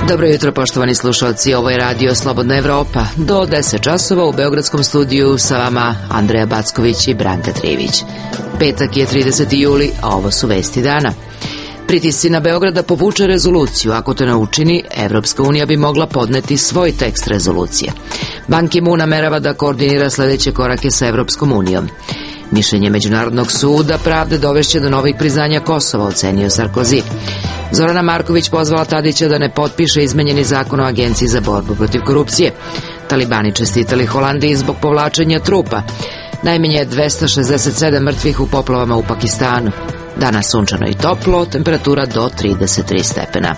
Dobro jutro, poštovani slušalci, ovo je Radio Slobodna Evropa. Do 10 časova u Beogradskom studiju sa vama Andreja Backović i Branka Trivić. Petak je 30. juli, a ovo su vesti dana. Pritisci na Beograd da povuče rezoluciju. Ako to ne učini, Evropska unija bi mogla podneti svoj tekst rezolucije. Ban Ki-moon namerava da koordinira sledeće korake sa Evropskom unijom. Mišljenje Međunarodnog suda pravde dovešće do novih priznanja Kosova, ocenio Sarkozy. Zorana Marković pozvala Tadića da ne potpiše izmenjeni zakon o Agenciji za borbu protiv korupcije. Talibani čestitali Holandiji zbog povlačenja trupa. Najmanje 267 mrtvih u poplavama u Pakistanu. Danas sunčano i toplo, temperatura do 33 stepena.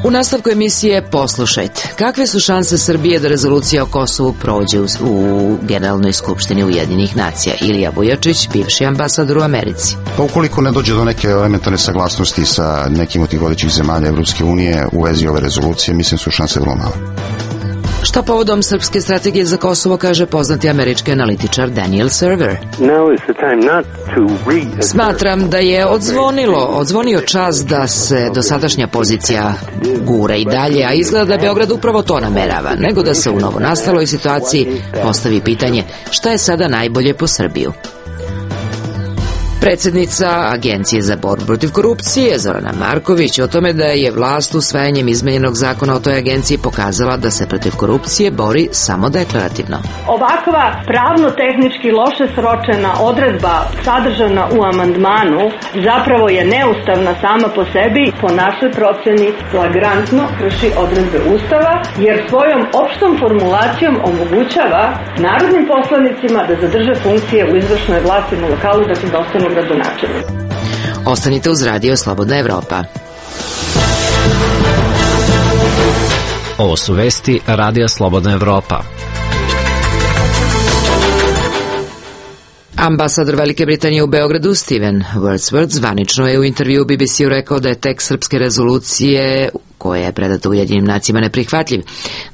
U nastavku emisije poslušajte. Kakve su šanse Srbije da rezolucija o Kosovu prođe u Generalnoj skupštini Ujedinjenih nacija? Ilija Vujačić, bivši ambasador u Americi. Pa ukoliko ne dođe do neke elementarne saglasnosti sa nekim od tih vodećih zemalja Evropske unije u vezi ove rezolucije, mislim su šanse vrlo male. Šta povodom srpske strategije za Kosovo kaže poznati američki analitičar Daniel Server? Smatram da je odzvonio čas da se dosadašnja pozicija gura i dalje, a izgleda da Beograd upravo to namerava, nego da se u novonastaloj situaciji postavi pitanje šta je sada najbolje po Srbiju. Predsjednica Agencije za borbu protiv korupcije, Zorana Marković, o tome da je vlast usvajanjem izmenjenog zakona o toj agenciji pokazala da se protiv korupcije bori samo deklarativno. Ovakva pravno-tehnički loše sročena odredba sadržana u amandmanu zapravo je neustavna sama po sebi, po našoj proceni flagrantno krši odredbe Ustava, jer svojom opštom formulacijom omogućava narodnim poslanicima da zadrže funkcije u izvršnoj vlasti na lokalu, dakle da ostanu gradonačelnici. Ostanite uz Radio Slobodna Evropa. Ovo su vesti Radija Slobodna Evropa. Ambasador Velike Britanije u Beogradu Steven Wordsworth zvanično je u intervju BBC-u rekao da je tekst srpske rezolucije koja je predata Ujedinjenim nacijama neprihvatljiv,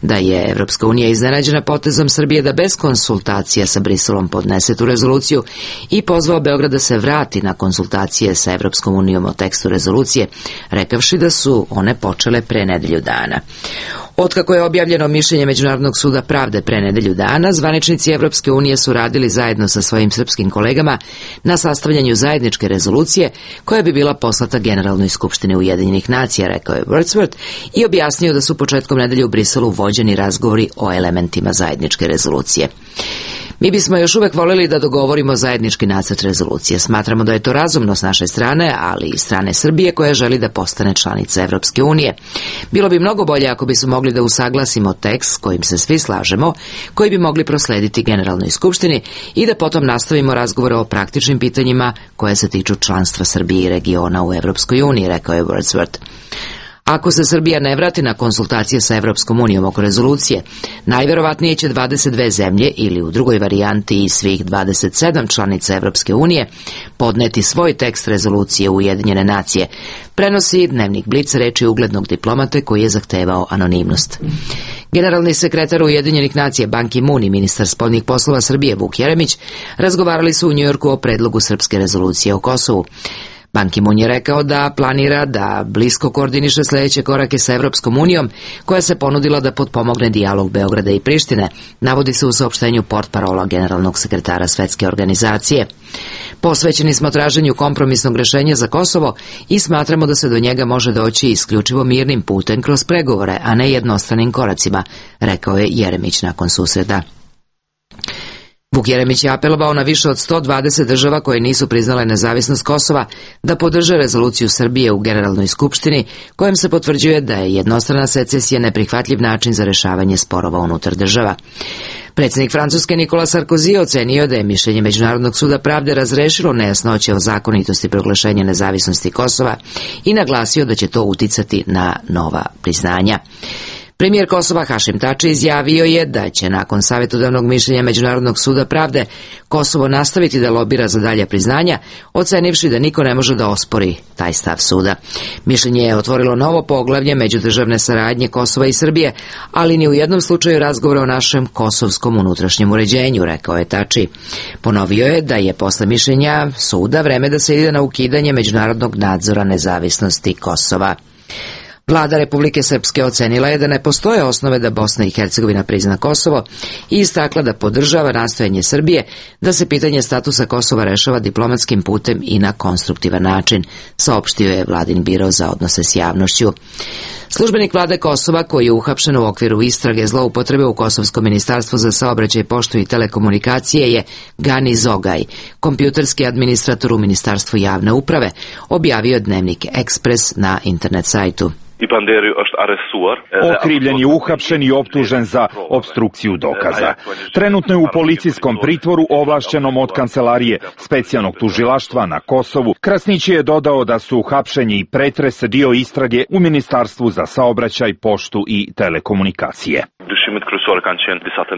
da je Evropska unija iznenađena potezom Srbije da bez konsultacija sa Briselom podnese tu rezoluciju i pozvao Beograd da se vrati na konsultacije sa Evropskom unijom o tekstu rezolucije, rekavši da su one počele pre nedelju dana. Otkako je objavljeno mišljenje Međunarodnog suda pravde pre nedelju dana, zvaničnici Evropske unije su radili zajedno sa svojim srpskim kolegama na sastavljanju zajedničke rezolucije koja bi bila poslata Generalnoj skupštini Ujedinjenih nacija, rekao je Wordsworth, i objasnio da su početkom nedelje u Briselu vođeni razgovori o elementima zajedničke rezolucije. Mi bismo još uvek voljeli da dogovorimo zajednički nacrt rezolucije. Smatramo da je to razumno s naše strane, ali i strane Srbije koja želi da postane članica Evropske unije. Bilo bi mnogo bolje ako bismo mogli da usaglasimo tekst s kojim se svi slažemo, koji bi mogli proslediti Generalnoj skupštini i da potom nastavimo razgovore o praktičnim pitanjima koje se tiču članstva Srbije i regiona u Evropskoj uniji, rekao je Wordsworth. Ako se Srbija ne vrati na konsultacije sa Evropskom unijom oko rezolucije, najverovatnije će 22 zemlje ili u drugoj varijanti i svih 27 članica Evropske unije podneti svoj tekst rezolucije u Ujedinjene nacije, prenosi dnevnik Blic reči uglednog diplomate koji je zahtevao anonimnost. Generalni sekretar Ujedinjenih nacija Ban Ki-moon i ministar spoljnih poslova Srbije Vuk Jeremić razgovarali su u Njujorku o predlogu srpske rezolucije o Kosovu. Ban Ki-moon je rekao da planira da blisko koordiniše sledeće korake sa Evropskom unijom, koja se ponudila da potpomogne dijalog Beograda i Prištine, navodi se u saopštenju portparola generalnog sekretara Svetske organizacije. Posvećeni smo traženju kompromisnog rešenja za Kosovo i smatramo da se do njega može doći isključivo mirnim putem kroz pregovore, a ne jednostranim koracima, rekao je Jeremić nakon susreta. Vuk Jeremić je apelovao na više od 120 država koje nisu priznale nezavisnost Kosova da podrže rezoluciju Srbije u Generalnoj skupštini, kojom se potvrđuje da je jednostrana secesija neprihvatljiv način za rešavanje sporova unutar država. Predsjednik Francuske Nikola Sarkozy ocenio da je mišljenje Međunarodnog suda pravde razrešilo nejasnoće o zakonitosti proglašenja nezavisnosti Kosova i naglasio da će to uticati na nova priznanja. Premijer Kosova Hašim Tači izjavio je da će nakon savjetodavnog mišljenja Međunarodnog suda pravde Kosovo nastaviti da lobira za dalja priznanja, ocenivši da niko ne može da ospori taj stav suda. Mišljenje je otvorilo novo poglavlje međudržavne saradnje Kosova i Srbije, ali ni u jednom slučaju razgovora o našem kosovskom unutrašnjem uređenju, rekao je Tači. Ponovio je da je posle mišljenja suda vreme da se ide na ukidanje međunarodnog nadzora nezavisnosti Kosova. Vlada Republike Srpske ocenila je da ne postoje osnove da Bosna i Hercegovina prizna Kosovo i istakla da podržava nastojanje Srbije da se pitanje statusa Kosova rešava diplomatskim putem i na konstruktivan način, saopštio je vladin biro za odnose s javnošću. Službenik vlade Kosova, koji je uhapšen u okviru istrage zloupotrebe u Kosovskom ministarstvu za saobraćaj, poštu i telekomunikacije, je Gani Zogaj, kompjuterski administrator u Ministarstvu javne uprave, objavio dnevnik Ekspres na internet sajtu. Okrivljen je uhapšen i optužen za opstrukciju dokaza. Trenutno je u policijskom pritvoru ovlašćenom od Kancelarije specijalnog tužilaštva na Kosovu. Krasnić je dodao da su uhapšenje i pretres dio istrage u Ministarstvu za saobraćaj, poštu i telekomunikacije.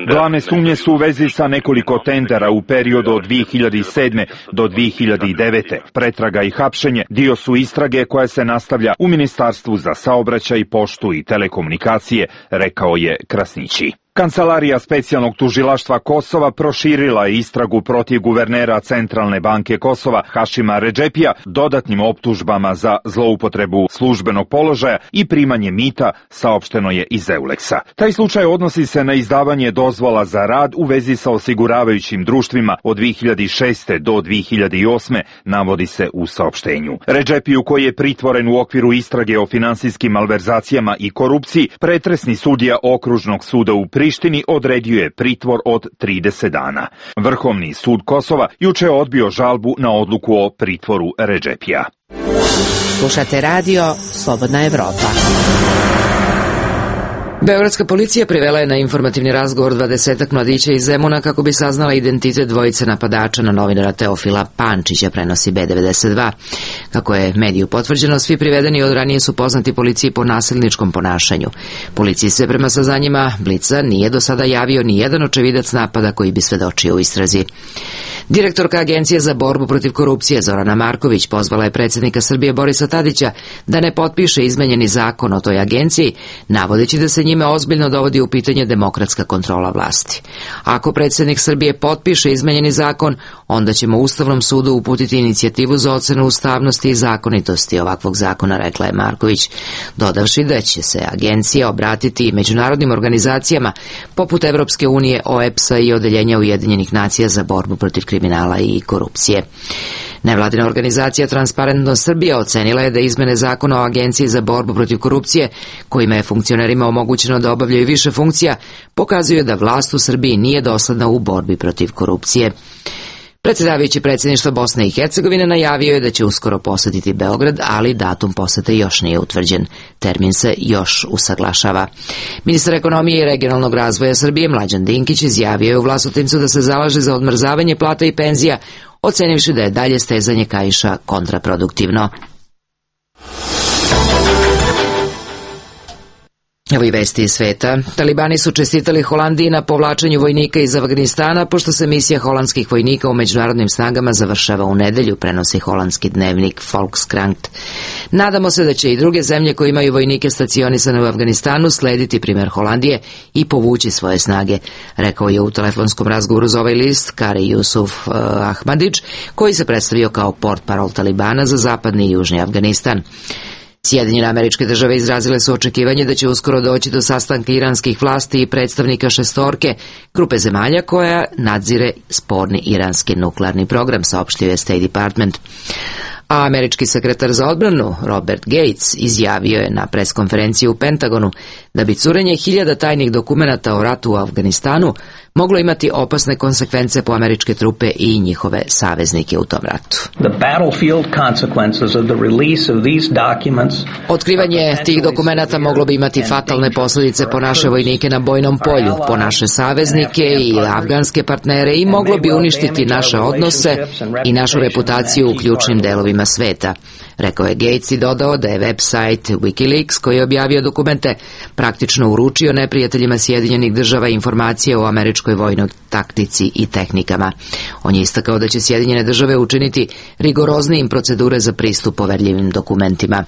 Glavne sumnje su u vezi sa nekoliko tendera u periodu od 2007. do 2009. Pretraga i hapšenje dio su istrage koja se nastavlja u Ministarstvu za saobraćaj, poštu i telekomunikacije, rekao je Krasnići. Kancelarija specijalnog tužilaštva Kosova proširila je istragu protiv guvernera Centralne banke Kosova Hašima Redžepija dodatnim optužbama za zloupotrebu službenog položaja i primanje mita, saopšteno je iz Euleksa. Taj slučaj odnosi se na izdavanje dozvola za rad u vezi sa osiguravajućim društvima od 2006. do 2008. navodi se u saopštenju. Redžepiju, koji je pritvoren u okviru istrage o finansijskim malverzacijama i korupciji, pretresni sudija Okružnog suda u Prištini odredio je pritvor od 30 dana. Vrhovni sud Kosova juče je odbio žalbu na odluku o pritvoru Redžepija. Slušate radio Slobodna Evropa. Beogradska policija privela je na informativni razgovor 20 mladića iz Zemuna kako bi saznala identitet dvojice napadača na novinara Teofila Pančića, prenosi B92. Kako je mediju potvrđeno, svi privedeni od ranije su poznati policiji po nasilničkom ponašanju. Policiji se prema saznanjima Blica nije do sada javio ni jedan očevidac napada koji bi svedočio u istrazi. Direktorka Agencije za borbu protiv korupcije Zorana Marković pozvala je predsjednika Srbije Borisa Tadića da ne potpiše izmenjeni zakon o toj agenciji, navodeći da se njime ozbiljno dovodi u pitanje demokratska kontrola vlasti. Ako predsjednik Srbije potpiše izmenjeni zakon, onda ćemo Ustavnom sudu uputiti inicijativu za ocenu ustavnosti i zakonitosti ovakvog zakona, rekla je Marković, dodavši da će se agencija obratiti i međunarodnim organizacijama poput Evropske unije, OEBS-a i Odeljenja Ujedinjenih nacija za borbu protiv kriminala i korupcije. Nevladina organizacija Transparentnost Srbija ocenila je da izmene zakona o Agenciji za borbu protiv korupcije, kojima je funkcionerima omogućeno da obavljaju više funkcija, pokazuju da vlast u Srbiji nije dosledna u borbi protiv korupcije. Predsjedavajući predsjedništva Bosne i Hercegovine najavio je da će uskoro posetiti Beograd, ali datum posete još nije utvrđen. Termin se još usaglašava. Ministar ekonomije i regionalnog razvoja Srbije Mlađan Dinkić izjavio je u Vlasotincu da se zalaže za odmrzavanje plata i penzija, ocenivši da je dalje stezanje kaiša kontraproduktivno. Evo i vesti iz sveta. Talibani su čestitali Holandiji na povlačenju vojnika iz Afganistana, pošto se misija holandskih vojnika u međunarodnim snagama završava u nedelju, prenosi holandski dnevnik Volkskrant. Nadamo se da će i druge zemlje koje imaju vojnike stacionisane u Afganistanu slediti primjer Holandije i povući svoje snage, rekao je u telefonskom razgovoru za ovaj list Kari Jusuf Ahmadić, koji se predstavio kao portparol Talibana za zapadni i južni Afganistan. Sjedinjene Američke Države izrazile su očekivanje da će uskoro doći do sastanka iranskih vlasti i predstavnika šestorke, grupe zemalja koja nadzire sporni iranski nuklearni program, saopštio je State Department. A američki sekretar za odbranu Robert Gates izjavio je na preskonferenciji u Pentagonu da bi curenje 1000 tajnih dokumenata o ratu u Afganistanu moglo imati opasne konsekvence po američke trupe i njihove saveznike u tom ratu. Otkrivanje tih dokumenata moglo bi imati fatalne posljedice po naše vojnike na bojnom polju, po naše saveznike i afganske partnere i moglo bi uništiti naše odnose i našu reputaciju u ključnim delovima sveta, rekao je Gates i dodao da je website Wikileaks, koji je objavio dokumente, praktično uručio neprijateljima Sjedinjenih država informacije o američkoj vojnoj taktici i tehnikama. On je istakao da će Sjedinjene države učiniti rigoroznijim procedure za pristup poverljivim dokumentima.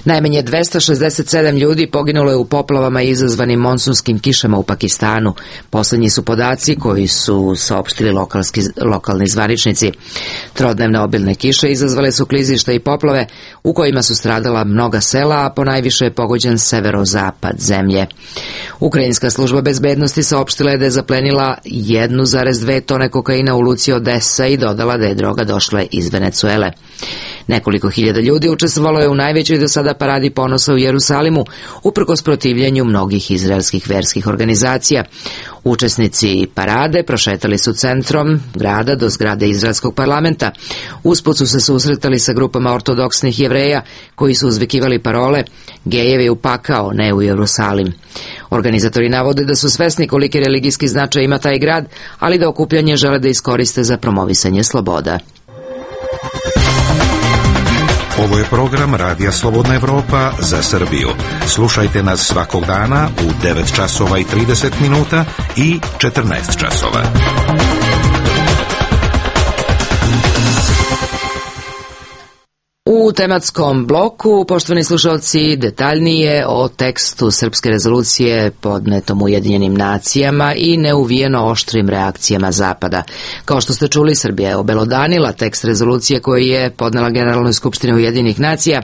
Najmanje 267 ljudi poginulo je u poplavama izazvanim monsunskim kišama u Pakistanu. Poslednji su podaci koji su saopštili lokalni zvaničnici. Trodnevne obilne kiše izazvale su klizišta i poplave u kojima su stradala mnoga sela, a ponajviše je pogođen severozapad zemlje. Ukrajinska služba bezbednosti saopštila je da je zaplenila 1,2 tone kokaina u luci Odesa i dodala da je droga došla iz Venecuele. Nekoliko hiljada ljudi učestvovalo je u najvećoj do sada paradi ponosa u Jerusalimu, uprkos protivljenju mnogih izraelskih verskih organizacija. Učesnici parade prošetali su centrom grada do zgrade izraelskog parlamenta. Usput su se susretali sa grupama ortodoksnih Jevreja koji su uzvikivali parole "Gejevi u pakao, ne u Jerusalim". Organizatori navode da su svesni koliki religijski značaj ima taj grad, ali da okupljanje žele da iskoriste za promovisanje sloboda. Ovo je program Radija Slobodna Evropa za Srbiju. Slušajte nas svakog dana u 9 časova i 30 minuta i 14 časova. U tematskom bloku, poštovani slušalci, detaljnije o tekstu srpske rezolucije podnetom Ujedinjenim nacijama i neuvijeno oštrim reakcijama Zapada. Kao što ste čuli, Srbija je obelodanila tekst rezolucije koji je podnela Generalnoj skupštini Ujedinjenih nacija.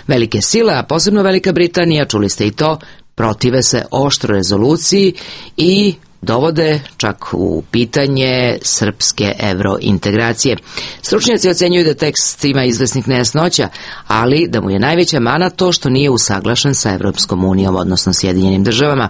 Velike sile, a posebno Velika Britanija, čuli ste i to, protive se oštro rezoluciji i dovode čak u pitanje srpske evrointegracije. Stručnjaci ocenjuju da tekst ima izvesnih nejasnoća, ali da mu je najveća mana to što nije usaglašen sa Evropskom unijom, odnosno Sjedinjenim državama.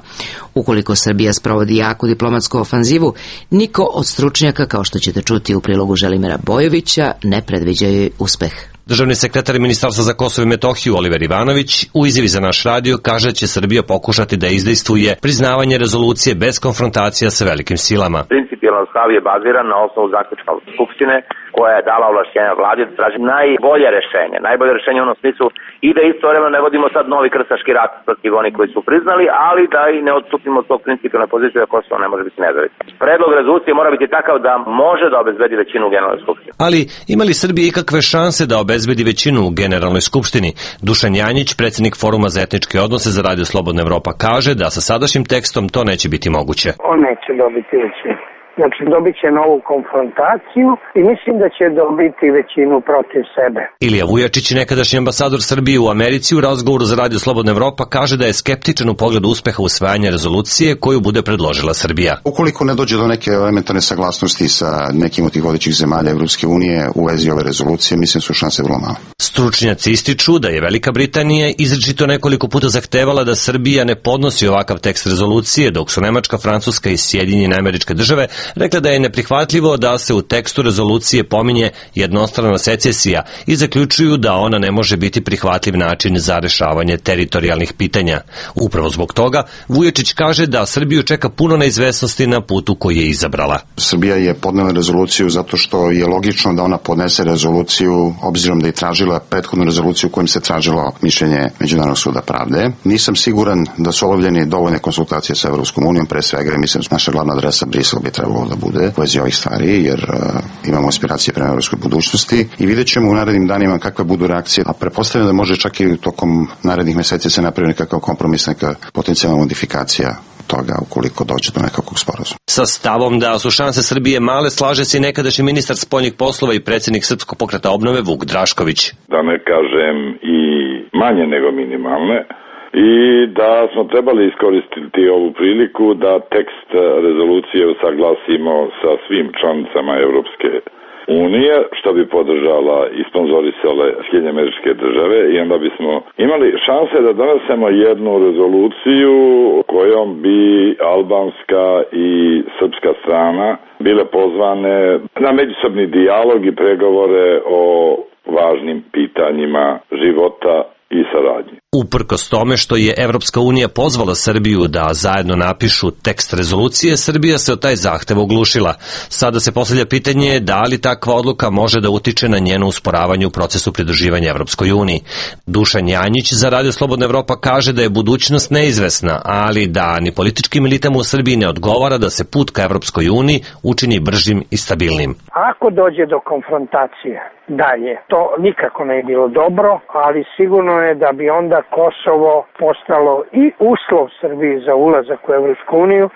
Ukoliko Srbija sprovodi jaku diplomatsku ofanzivu, niko od stručnjaka, kao što ćete čuti u prilogu Želimira Bojovića, ne predviđa joj uspeh. Državni sekretar Ministarstva za Kosovo i Metohiju Oliver Ivanović u izjavi za naš radio kaže da će Srbija pokušati da izdejstvuje priznavanje rezolucije bez konfrontacija sa velikim silama. Principijalno stav je baziran na osnovu zaključka Skupštine koja je dala ovlašćenja vladi da traži najbolje rešenje. Najbolje rešenje u onom smislu i da istovremeno ne vodimo sad novi krstaški rat protiv onih koji su priznali, ali da i ne odstupimo od tog principijalne pozicije da Kosovo ne može biti nezavisno. Predlog rezolucije mora biti takav da može da obezbedi većinu u Generalnoj skupštini. Ali ima li Srbija ikakve šanse da obezbedi većinu u Generalnoj skupštini? Dušan Janjić, predsjednik Foruma za etničke odnose za Radio Slobodna Evropa, kaže da sa sadašnjim tekstom to neće biti moguće. On neće dobiti većinu. Znači, dobit će novu konfrontaciju i mislim da će dobiti većinu protiv sebe. Ilija Vujačić, nekadašnji ambasador Srbije u Americi, u razgovoru za Radio Slobodna Evropa, kaže da je skeptičan u pogledu uspeha usvajanja rezolucije koju bude predložila Srbija. Ukoliko ne dođe do neke elementarne saglasnosti sa nekim od tih vodećih zemalja Evropske unije u vezi ove rezolucije, mislim da su šanse vrlo male. Stručnjaci ističu da je Velika Britanija izričito nekoliko puta zahtevala da Srbija ne podnosi ovakav tekst rezolucije, dok su Nemačka, Francuska i Sjedinjene Američke Države rekla da je neprihvatljivo da se u tekstu rezolucije pominje jednostrana secesija i zaključuju da ona ne može biti prihvatljiv način za rešavanje teritorijalnih pitanja. Upravo zbog toga, Vujačić kaže da Srbiju čeka puno neizvesnosti na putu koji je izabrala. Srbija je podnela rezoluciju zato što je logično da ona podnese rezoluciju, obzirom da je tražila prethodnu rezoluciju kojom se tražilo mišljenje Međunarodnog suda pravde. Nisam siguran da su obavljeni dovoljne konsultacije sa Evropskom unijom, pre svega mislim naša glavna adresa Brisel bi trebalo da bude u vezi ovih stvari, jer imamo aspiracije prema evropskoj budućnosti i vidjet ćemo u narednim danima kakve budu reakcije, a pretpostavljam da može čak i tokom narednih meseci se napravi nekakav kompromis, neka potencijalna modifikacija toga ukoliko dođe do nekakvog sporazuma. Sa stavom da su šanse Srbije male slaže se i nekadašnji ministar spoljnih poslova i predsjednik Srpskog pokreta obnove Vuk Drašković. Da ne kažem i manje nego minimalne, i da smo trebali iskoristiti ovu priliku da tekst rezolucije usaglasimo sa svim članicama Evropske unije, što bi podržala i sponzorisale Sjedinjene Američke Države, i onda bismo imali šanse da donesemo jednu rezoluciju kojom bi albanska i srpska strana bile pozvane na međusobni dijalog i pregovore o važnim pitanjima života i saradnje. Uprkos tome što je Evropska unija pozvala Srbiju da zajedno napišu tekst rezolucije, Srbija se od taj zahtev oglušila. Sada se postavlja pitanje da li takva odluka može da utiče na njeno usporavanje u procesu pridruživanja Evropskoj uniji. Dušan Janjić za Radio Slobodna Evropa kaže da je budućnost neizvesna, ali da ni političkim elitama u Srbiji ne odgovara da se put ka Evropskoj uniji učini bržim i stabilnim. Ako dođe do konfrontacije dalje, to nikako ne je bilo dobro, ali sigurno je da bi onda Kosovo postalo i uslov Srbiji za ulazak u Evropsku uniju,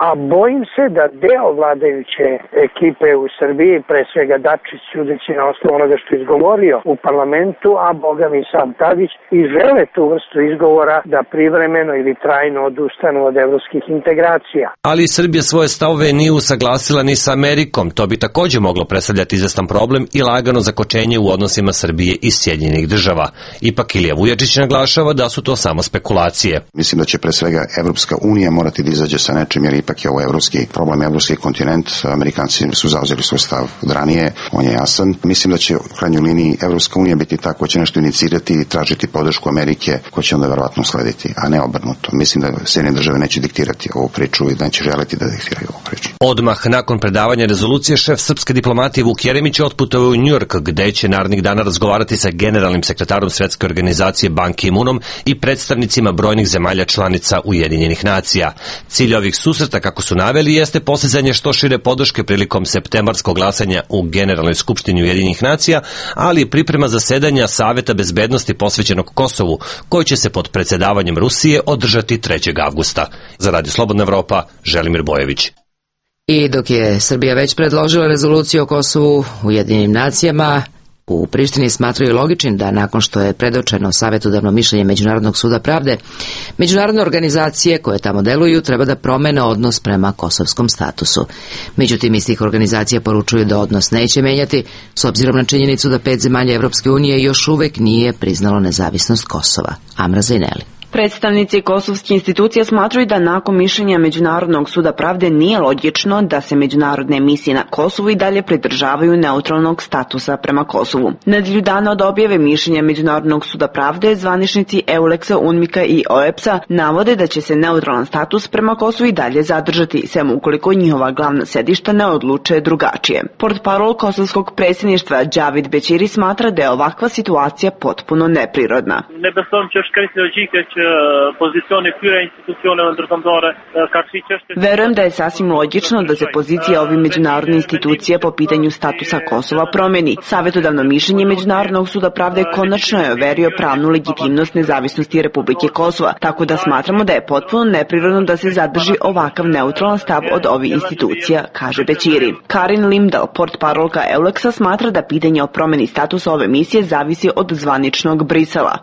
a bojim se da deo vladajuće ekipe u Srbiji, pre svega Dačić, sudeći na osnovu onoga što je izgovorio u parlamentu, a boga mi sam Tadić, i žele tu vrstu izgovora da privremeno ili trajno odustanu od evropskih integracija. Ali Srbija svoje stavove nije usaglasila ni sa Amerikom. To bi takođe moglo predstavljati izvestan problem i lagano zakočenje u odnosima Srbije i Sjedinjenih država. Ipak Ilija Vujačić naglašava da su to samo spekulacije. Mislim da će pre svega Evropska unija morati da izađe sa nečim, jer ipak je ovo evropski problem, evropski kontinent. Amerikanci su zauzeli svoj stav od ranije, on je jasan. Mislim da će u krajnjoj liniji Evropska unija biti ta koja će nešto inicirati i tražiti podršku Amerike, koja će onda verovatno slediti, a ne obrnuto. Mislim da Sjedinjene države neće diktirati ovu priču i da neće želiti da diktiraju ovu priču. Odmah nakon predavanja rezolucije, šef srpske diplomatije Vuk Jeremić otputovao u Njujork, gde će narednih dana razgovarati sa generalnim sekretarom Svetske organizacije Ban Ki-moonom i predstavnicima brojnih zemalja članica Ujedinjenih nacija. Cilj ovih susreta, kako su naveli, jeste postizanje što šire podrške prilikom septembarskog glasanja u Generalnoj skupštini Ujedinjenih nacija, ali i priprema zasedanja Saveta bezbednosti posvećenog Kosovu, koji će se pod predsedavanjem Rusije održati 3. avgusta. Za Radio Slobodna Evropa, Želimir Bojević. I dok je Srbija već predložila rezoluciju o Kosovu Ujedinjenim nacijama, u Prištini smatraju logičnim da nakon što je predočeno savjetodavno mišljenje Međunarodnog suda pravde, međunarodne organizacije koje tamo deluju treba da promene odnos prema kosovskom statusu. Međutim, iz tih organizacija poručuju da odnos neće menjati, s obzirom na činjenicu da 5 zemalja Evropske unije još uvek nije priznalo nezavisnost Kosova. Amra Zaineli. Predstavnici kosovskih institucija smatraju da nakon mišljenja Međunarodnog suda pravde nije logično da se međunarodne misije na Kosovu i dalje pridržavaju neutralnog statusa prema Kosovu. Nedelju dana od objave mišljenja Međunarodnog suda pravde, zvaničnici EULEX-a, UNMIK-a i OEBS-a navode da će se neutralan status prema Kosovu i dalje zadržati, sem ukoliko njihova glavna sedišta ne odluče drugačije. Portparol kosovskog predsjedništva Džavid Bećiri smatra da je ovakva situacija potpuno neprirodna. Verujem da je sasvim logično da se pozicija ovih međunarodnih institucija po pitanju statusa Kosova promeni. Savjetodavno mišljenje Međunarodnog suda pravde konačno je overio pravnu legitimnost nezavisnosti Republike Kosova, tako da smatramo da je potpuno neprirodno da se zadrži ovakav neutralan stav od ovih institucija, kaže Bećiri. Karin Limdal, portparolka EULEX-a, smatra da pitanje o promeni statusa ove misije zavisi od zvaničnog Brisela.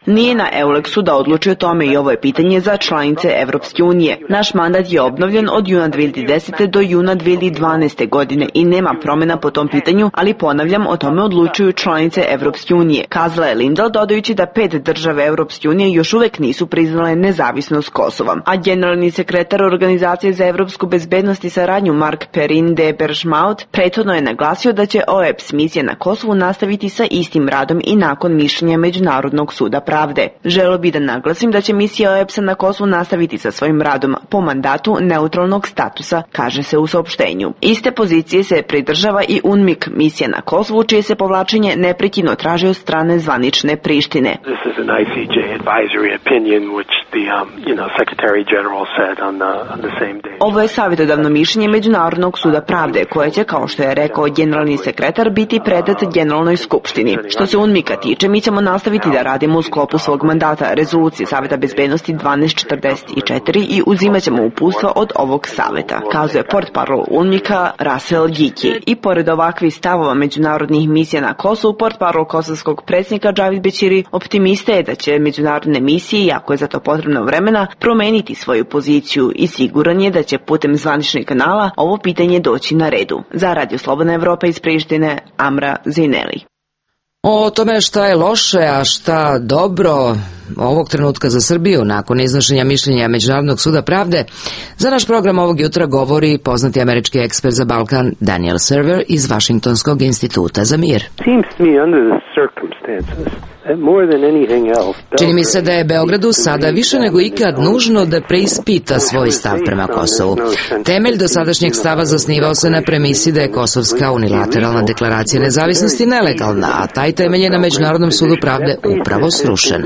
Nije na EULEX-u da odluči o tome i ovo je pitanje za članice Evropske unije. Naš mandat je obnovljen od juna 2010. do juna 2012. godine i nema promjena po tom pitanju, ali ponavljam, o tome odlučuju članice Evropske unije. Kazala je Lindal, dodajući da 5 države Evropske unije još uvek nisu priznale nezavisnost Kosova. A generalni sekretar Organizacije za evropsku bezbednost i saradnju Mark Perrin de Bergmaut prethodno je naglasio da će OEBS misija na Kosovu nastaviti sa istim radom i nakon mišljenja Međunarodnog suda pravde. Želeo bi da naglasim da će misija OEBS-a na Kosovu nastaviti sa svojim radom po mandatu neutralnog statusa, kaže se u saopštenju. Iste pozicije se pridržava i UNMIK, misija na Kosovu, čije se povlačenje neprekidno traži od strane zvanične Prištine. Ovo je savjetodavno mišljenje Međunarodnog suda pravde, koje će, kao što je rekao generalni sekretar, biti predat Generalnoj skupštini. Što se UNMIK-a tiče, mi ćemo nastaviti da radimo u sklopu svog mandata rezolucije Saveta bezbednosti 1244 i uzimat ćemo uputstva od ovog saveta, kazuje portparol UNMIK-a Russell Giki. I pored ovakvih stavova međunarodnih misija na Kosovu, portparol kosovskog predsjednika Džavid Bećiri optimista je da će međunarodne misije, iako je za to potrebno vremena, promeniti svoju poziciju i siguran je da će putem zvaničnih kanala ovo pitanje doći na redu. Za Radio Slobodna Evropa iz Prištine, Amra Zaineli. O tome šta je loše, a šta dobro, ovog trenutka za Srbiju nakon iznošenja mišljenja Međunarodnog suda pravde, za naš program ovog jutra govori poznati američki ekspert za Balkan Daniel Server iz Vašingtonskog instituta za mir. Čini mi se da je Beogradu sada više nego ikad nužno da preispita svoj stav prema Kosovu. Temelj dosadašnjeg stava zasnivao se na premisi da je kosovska unilateralna deklaracija nezavisnosti nelegalna, a taj temelj je na Međunarodnom sudu pravde upravo srušen.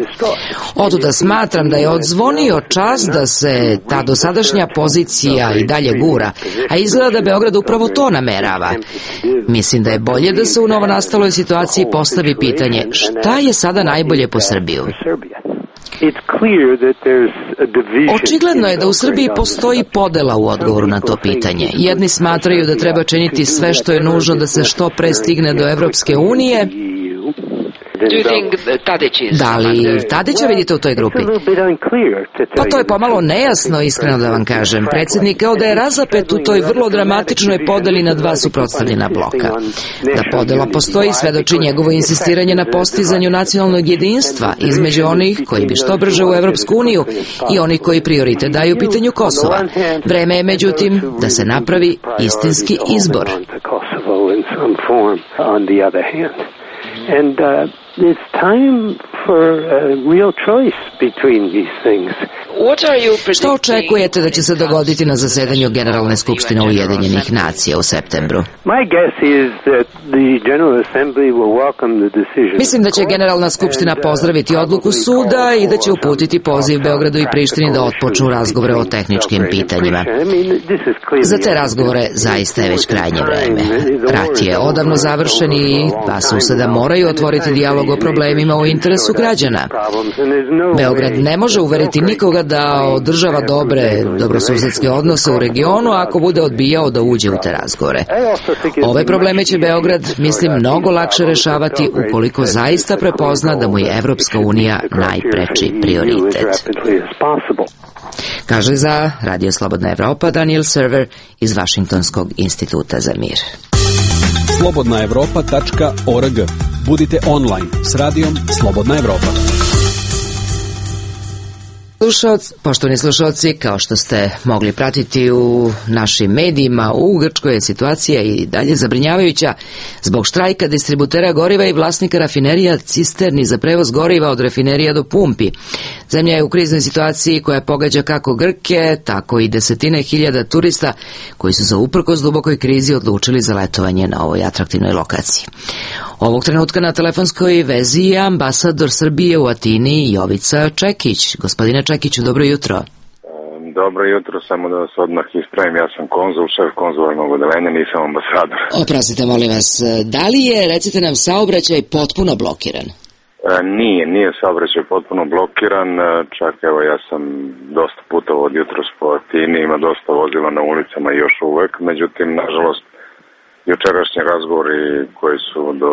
Otuda smatram da je odzvonio čas da se ta dosadašnja pozicija i dalje gura, a izgleda da Beograd upravo to namerava. Mislim da je bolje da se u novonastaloj situaciji postavi pitanje šta je sada najbolje po Srbiju. Očigledno je da u Srbiji postoji podela u odgovoru na to pitanje. Jedni smatraju da treba činiti sve što je nužno da se što pre stigne do Evropske unije. Da li Tadića vidite u toj grupi? Pa to je pomalo nejasno, iskreno da vam kažem. Predsjednik kao da je razapet u toj vrlo dramatičnoj podeli na dva suprotstavljena bloka. Da podela postoji svedoči njegovo insistiranje na postizanju nacionalnog jedinstva između onih koji bi što brže u Evropsku uniju i onih koji prioritet daju pitanju Kosova. Vreme je međutim da se napravi istinski izbor. It's time for a real choice between these things. Što očekujete da će se dogoditi na zasedanju Generalne skupštine Ujedinjenih nacija u septembru? Mislim da će Generalna skupština pozdraviti odluku suda i da će uputiti poziv Beogradu i Prištini da otpočnu razgovore o tehničkim pitanjima. Za te razgovore zaista je već krajnje vreme. Rat je odavno završen i dva suseda moraju otvoriti dijalog o problemima u interesu građana. Beograd ne može uveriti nikoga da održava dobrosusedske odnose u regionu ako bude odbijao da uđe u te razgovore. Ove probleme će Beograd, mislim, mnogo lakše rešavati ukoliko zaista prepozna da mu je Evropska unija najpreči prioritet. Kaže za Radio Slobodna Evropa Daniel Server iz Vašingtonskog instituta za mir. slobodnaevropa.org. Budite online s radijom Slobodna Evropa. Poštovani slušalci, kao što ste mogli pratiti u našim medijima, u Grčkoj je situacija i dalje zabrinjavajuća zbog štrajka distributera goriva i vlasnika rafinerija cisterni za prevoz goriva od rafinerija do pumpi. Zemlja je u kriznoj situaciji koja pogađa kako Grke, tako i desetine hiljada turista koji su se uprkos dubokoj krizi odlučili za letovanje na ovoj atraktivnoj lokaciji. Ovog trenutka na telefonskoj vezi je ambasador Srbije u Atini Jovica Čekić. Gospodine Čekiću, dobro jutro. Dobro jutro, samo da vas odmah ispravim, ja sam konzul, šef konzularnog odeljenja, nisam ambasador. Oprostite, molim vas, da li je, recite nam, saobraćaj potpuno blokiran? Nije saobraćaj potpuno blokiran, čak evo ja sam dosta putovao od jutros po Atini, ima dosta vozila na ulicama još uvek, međutim, nažalost, jučerašnji razgovori koji su do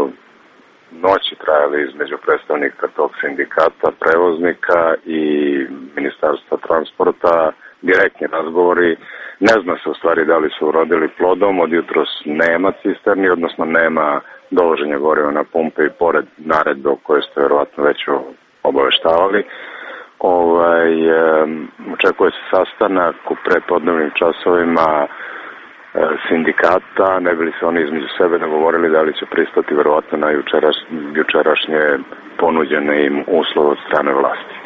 noći trajali između predstavnika tog sindikata prevoznika i Ministarstva transporta, direktni razgovori, ne zna se u stvari da li su urodili plodom, od jutros nema cisterni, odnosno nema dovoženja goriva na pumpe i pored naredbe o kojoj ste verovatno već obaveštavali. Očekuje se sastanak u prepodnevnim časovima sindikata, ne bili se oni između sebe dogovorili da li će pristati verovatno na jučerašnje ponuđene im uslove od strane vlasti.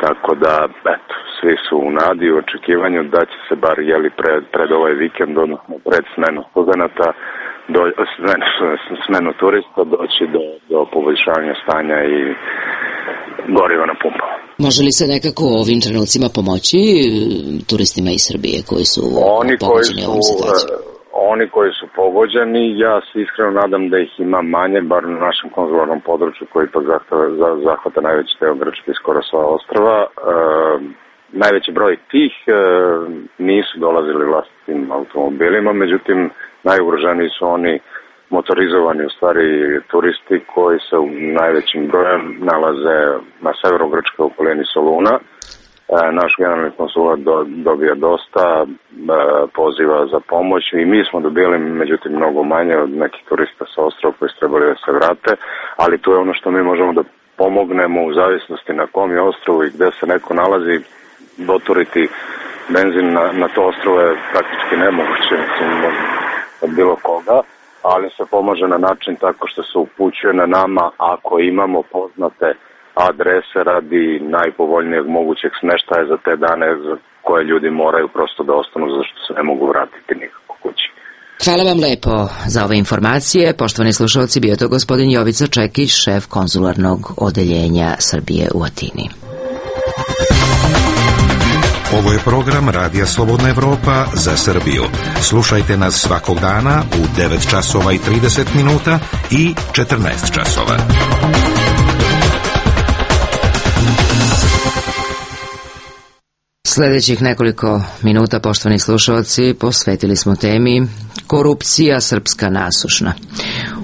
Tako da, eto, svi su u nadi u očekivanju da će se bar pred ovaj vikend, odnosno pred smenu studenata, smenu turista doći do poboljšavanja stanja i goriva na pumpama. Može li se nekako u ovim trenucima pomoći turistima iz Srbije koji su pogođeni ovom situacijom? Oni koji su pogođeni, ja se iskreno nadam da ih ima manje, bar na našem konzularnom području koji ipak zahvata najveći deo Grčke i skoro sva ostrva. Najveći broj tih nisu dolazili vlastitim automobilima, međutim najugroženiji su oni motorizovani u stvari turisti koji se u najvećim brojem nalaze na severu Grčke u okolini Soluna. Naš generalni konsulat dobija dosta poziva za pomoć i mi smo dobili, međutim, mnogo manje od nekih turista sa ostrava koji su trebali da se vrate, ali to je ono što mi možemo da pomognemo u zavisnosti na kom je ostrovu i gde se neko nalazi. Doturiti benzin na to ostrovo je praktički nemoguće, mislim, od bilo koga, ali se pomaže na način tako što se upućuje na nama ako imamo poznate adrese radi najpovoljnijeg mogućeg smeštaja za te dane za koje ljudi moraju prosto da ostanu zašto se ne mogu vratiti nikako kući. Hvala vam lepo za ove informacije. Poštovani slušalci, bio to gospodin Jovica Čekić, šef konzularnog odeljenja Srbije u Atini. Ovo je program Radija Slobodna Evropa za Srbiju. Slušajte nas svakog dana u 9 časova i 30 minuta i 14 časova. Sljedećih nekoliko minuta, poštovani slušalci, posvetili smo temi korupcija srpska nasušna.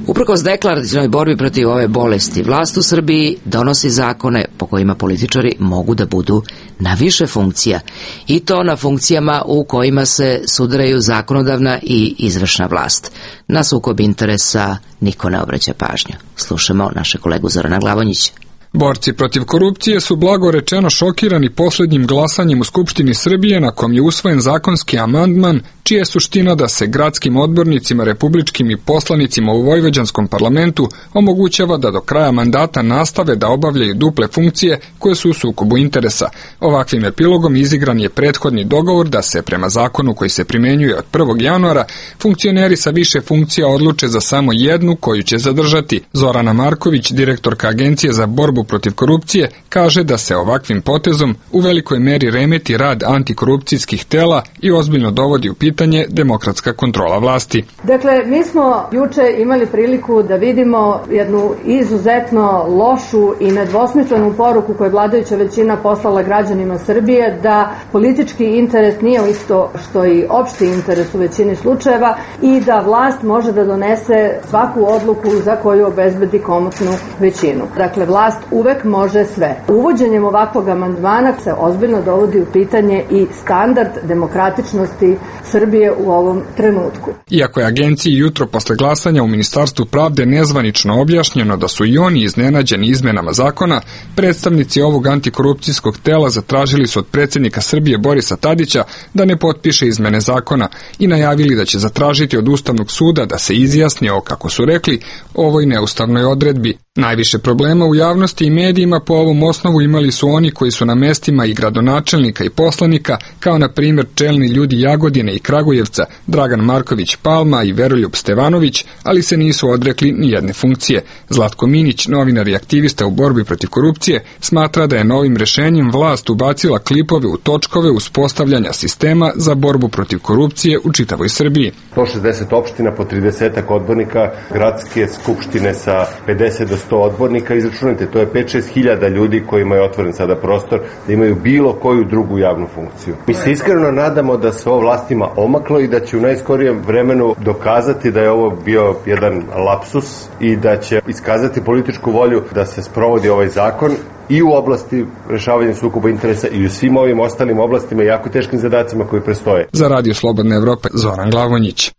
Uprkos deklarativnoj borbi protiv ove bolesti, vlast u Srbiji donosi zakone po kojima političari mogu da budu na više funkcija, i to na funkcijama u kojima se sudaraju zakonodavna i izvršna vlast. Na sukob interesa niko ne obraća pažnju. Slušamo naše kolegu Zorana Glavonjića. Borci protiv korupcije su blago rečeno šokirani posljednjim glasanjem u Skupštini Srbije na kom je usvojen zakonski amandman čija je suština da se gradskim odbornicima, republičkim i poslanicima u vojvođanskom parlamentu omogućava da do kraja mandata nastave da obavljaju duple funkcije koje su u sukobu interesa. Ovakvim epilogom izigran je prethodni dogovor da se prema zakonu koji se primenjuje od 1. januara funkcioneri sa više funkcija odluče za samo jednu koju će zadržati. Zorana Marković, direktorka Agencije za borbu protiv korupcije, kaže da se ovakvim potezom u velikoj meri remeti rad antikorupcijskih tela i ozbiljno dovodi u pitanje demokratska kontrola vlasti. Dakle, mi smo juče imali priliku da vidimo jednu izuzetno lošu i nedvosmislenu poruku koju je vladajuća većina poslala građanima Srbije, da politički interes nije isto što i opšti interes u većini slučajeva i da vlast može da donese svaku odluku za koju obezbedi komotnu većinu. Dakle, vlast uvek može sve. Uvođenjem ovakvog amandmana se ozbiljno dovodi u pitanje i standard demokratičnosti Srbije u ovom trenutku. Iako je agenciji jutro posle glasanja u Ministarstvu pravde nezvanično objašnjeno da su i oni iznenađeni izmenama zakona, predstavnici ovog antikorupcijskog tela zatražili su od predsjednika Srbije Borisa Tadića da ne potpiše izmene zakona i najavili da će zatražiti od Ustavnog suda da se izjasni o, kako su rekli, ovoj neustavnoj odredbi. Najviše problema u javnosti i medijima po ovom osnovu imali su oni koji su na mestima i gradonačelnika i poslanika, kao na primjer čelni ljudi Jagodine i Kragujevca, Dragan Marković Palma i Veroljub Stevanović, ali se nisu odrekli ni jedne funkcije. Zlatko Minić, novinar i aktivista u borbi protiv korupcije, smatra da je novim rešenjem vlast ubacila klipove u točkove uspostavljanja sistema za borbu protiv korupcije u čitavoj Srbiji. 160 opština po 30 odbornika, gradske skupštine sa 50 do 100 odbornika, izračunajte, to je 5-6 hiljada ljudi kojima je otvoren sada prostor da imaju bilo koju drugu javnu funkciju. Mi se iskreno nadamo da se ovo vlastima omaklo i da će u najskorijem vremenu dokazati da je ovo bio jedan lapsus i da će iskazati političku volju da se sprovodi ovaj zakon i u oblasti rešavanja sukoba interesa i u svim ovim ostalim oblastima i jako teškim zadacima koji prestoje. Za Radio Slobodna Evropa, Zoran Glavonjić.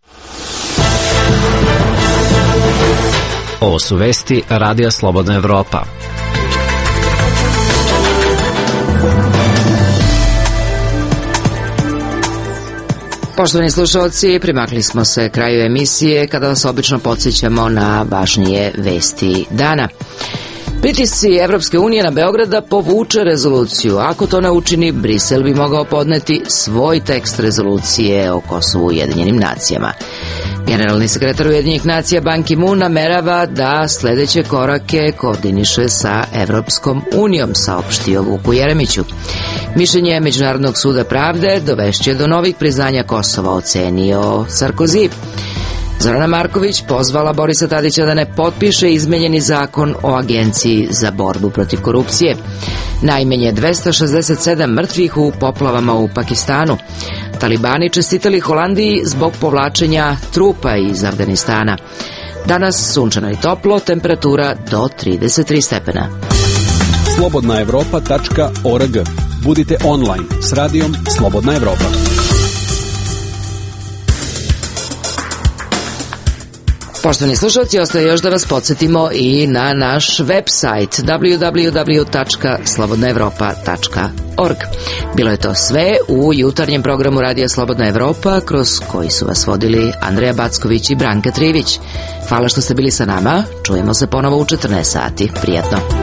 Ovo su vesti Radija Slobodna Evropa. Poštovani slušalci, primakli smo se kraju emisije kada vas obično podsjećamo na važnije vesti dana. Pritisci Evropske unije na Beograd da povuče rezoluciju. Ako to ne učini, Brisel bi mogao podneti svoj tekst rezolucije o Kosovu Ujedinjenim nacijama. Generalni sekretar Ujedinjenih nacija Ban Ki-moon namerava da sledeće korake koordiniše sa Evropskom unijom, saopštio Vuku Jeremiću. Mišljenje Međunarodnog suda pravde dovešće do novih priznanja Kosova, ocenio Sarkozy. Zorana Marković pozvala Borisa Tadića da ne potpiše izmenjeni zakon o Agenciji za borbu protiv korupcije. Najmanje 267 mrtvih u poplavama u Pakistanu. Talibani čestitali Holandiji zbog povlačenja trupa iz Afganistana. Danas sunčano i toplo, temperatura do 33 stepena. slobodnaevropa.org. Budite online s radijom Slobodna Evropa. Poštovani slušalci, ostaje još da vas podsjetimo i na naš website www.slobodnaevropa.org. Bilo je to sve u jutarnjem programu Radija Slobodna Evropa, kroz koji su vas vodili Andreja Backović i Branka Trivić. Hvala što ste bili sa nama, čujemo se ponovo u 14 sati. Prijatno.